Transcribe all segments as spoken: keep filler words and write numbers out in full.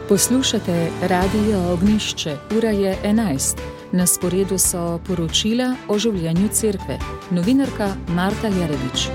Poslušate Radio Ognjišče, ura je enajst. Na sporedu so poročila o življenju cerkve. Novinarka Marta Jerevič.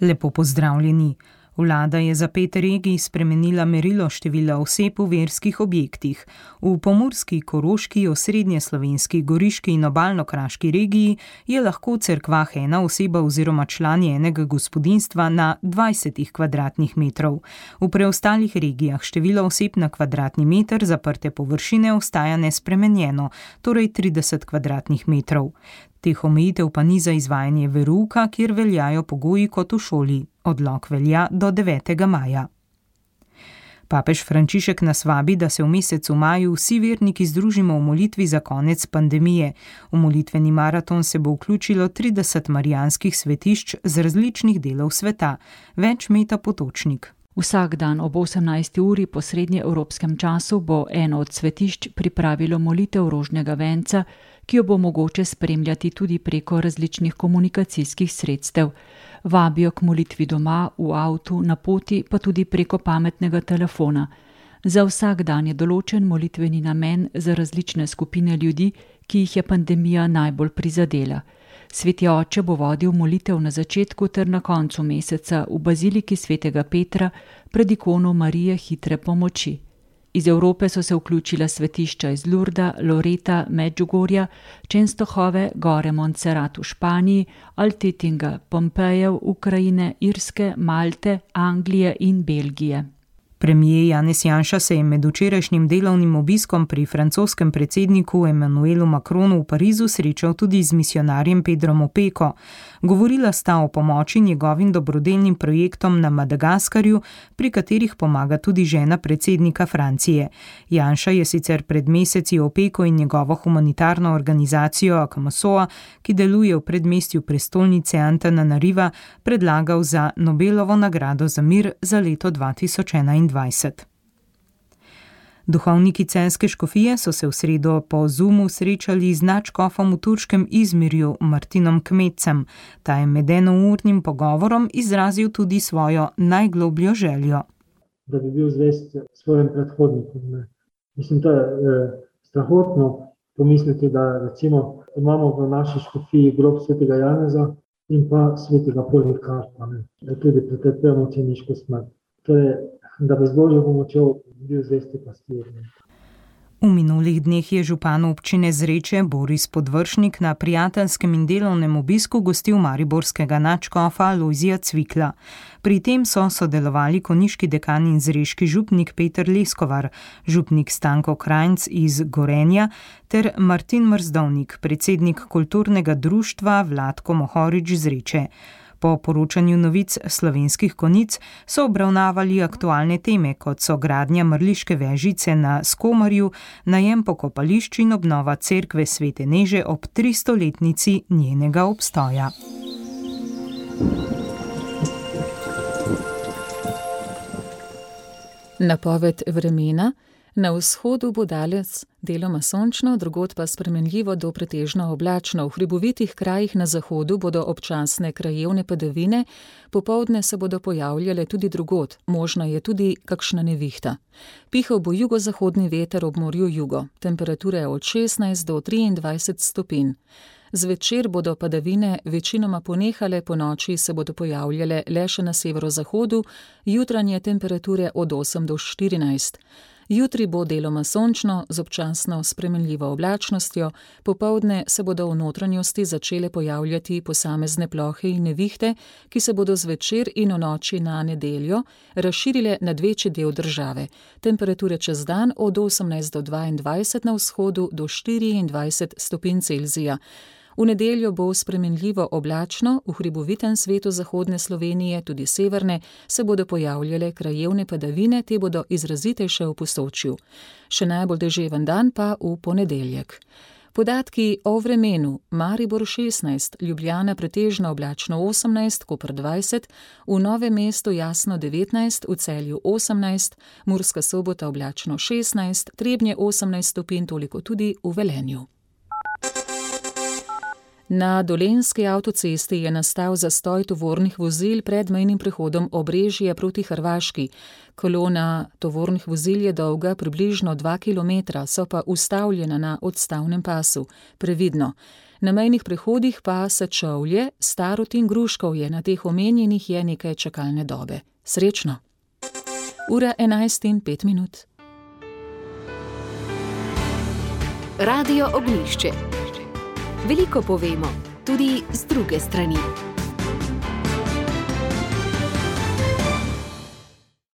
Lepo pozdravljeni. Vlada je za pet regij spremenila merilo števila oseb v verskih objektih. V pomurski, koroški, osrednjeslovenski, goriški in obalno-kraški regiji je lahko v cerkvah ena oseba oziroma člani enega gospodinjstva na dvajset kvadratnih metrov. V preostalih regijah število oseb na kvadratni meter zaprte površine ostaja nespremenjeno, torej trideset kvadratnih metrov. Teh omejitev pa ni za izvajanje verouka, kjer veljajo pogoji kot v šoli. Odlok velja do devetega maja. Papež Frančišek nas vabi, da se v mesecu maju vsi verniki združimo v molitvi za konec pandemije. V molitveni maraton se bo vključilo trideset marijanskih svetišč z različnih delov sveta. Več Meta Potočnik. Vsak dan ob osemnajsti uri po srednjeevropskem času bo eno od svetišč pripravilo molitev rožnega venca, ki jo bo mogoče spremljati tudi preko različnih komunikacijskih sredstev. Vabijo k molitvi doma, v avtu, na poti, pa tudi preko pametnega telefona. Za vsak dan je določen molitveni namen za različne skupine ljudi, ki jih je pandemija najbolj prizadela. Sveti oče bo vodil molitev na začetku ter na koncu meseca v baziliki svetega Petra pred ikono Marije hitre pomoči. Iz Evrope so se vključila svetišča iz Lurda, Loreta, Medžugorja, Čenstohove, Gore Montserrat v Španiji, Altetinga, Pompejev, Ukrajine, Irske, Malte, Anglije in Belgije. Premijer Janez Janša se je med včerajšnjim delovnim obiskom pri francoskem predsedniku Emmanuelu Macronu v Parizu srečal tudi z misijonarjem Pedrom Opeko. Govorila sta o pomoči njegovim dobrodelnim projektom na Madagaskarju, pri katerih pomaga tudi žena predsednika Francije. Janša je sicer pred meseci Opeko in njegovo humanitarno organizacijo Akamasoa, ki deluje v predmestju prestolnice Antananariva, predlagal za Nobelovo nagrado za mir za leto dva tisoč enaindvajset. Duhovniki Celjske škofije so se v sredo po Zoomu srečali z nadškofom v turškem Izmirju Martinom Kmetcem. Ta je med enournim pogovorom izrazil tudi svojo najglobljo željo. Da bi bil zvest svojim predhodnikom. Ne. Mislim, to je eh, strahotno pomisliti, da recimo imamo v naši škofiji grob svetega Janeza in pa svetega Polikarpa, da tudi pretrpemo mučeniško smrt. To je, da bi z Božjo pomočjo bil zvesti pastir. V minulih dneh je župan občine Zreče Boris Podvršnik na prijateljskem in delovnem obisku gostil mariborskega nadškofa Lojzija Cvikla. Pri tem so sodelovali konjiški dekan in zreški župnik Peter Leskovar, župnik Stanko Krajnc iz Gorenja ter Martin Mrzdovnik, predsednik kulturnega društva Vlatko Mohorič Zreče. Po poročanju novic Slovenskih konic so obravnavali aktualne teme, kot so gradnja mrliške vežice na Skomarju, najem pokopališč in obnova cerkve Svete Neže ob tristoletnici njenega obstoja. Napoved vremena. Na vzhodu bo daljec deloma sončno, drugod pa spremenljivo do pretežno oblačno. V hribovitih krajih na zahodu bodo občasne krajevne padavine, popoldne se bodo pojavljale tudi drugod, možna je tudi kakšna nevihta. Pihal bo jugozahodni veter ob morju jugo, temperature od šestnajst do triindvajset stopinj. Zvečer bodo padavine večinoma ponehale, po noči se bodo pojavljale le še na severozahodu, jutranje temperature od osem do štirinajst. Jutri bo deloma sončno, z občasno spremenljivo oblačnostjo, popoldne se bodo v notranjosti začele pojavljati posamezne plohe in nevihte, ki se bodo zvečer in v noči na nedeljo razširile nad večji del države. Temperature čez dan od osemnajst do dvaindvajset na vzhodu do štiriindvajset stopinj Celzija. V nedeljo bo spremenljivo oblačno, v hribovitem svetu zahodne Slovenije, tudi severne, se bodo pojavljale krajevne padavine, te bodo izrazitejše v Posočju. Še najbolj deževen dan pa v ponedeljek. Podatki o vremenu: Maribor šestnajst, Ljubljana pretežno oblačno osemnajst, Koper dvajset, v Novem mestu jasno devetnajst, v Celju osemnajst, Murska Sobota oblačno šestnajst, Trebnje osemnajst stopinj, toliko tudi v Velenju. Na dolenjski avtocesti je nastal zastoj tovornih vozil pred mejnim prehodom Obrežje proti Hrvaški. Kolona tovornih vozil je dolga približno dva kilometra, so pa ustavljena na odstavnem pasu. Previdno. Na mejnih prehodih pa Sečovlje, Starod in Gruškovje, na teh omenjenih je nekaj čakalne dobe. Srečno! Ura enajst in pet minut. Radio Ognjišče. Veliko povemo, tudi z druge strani.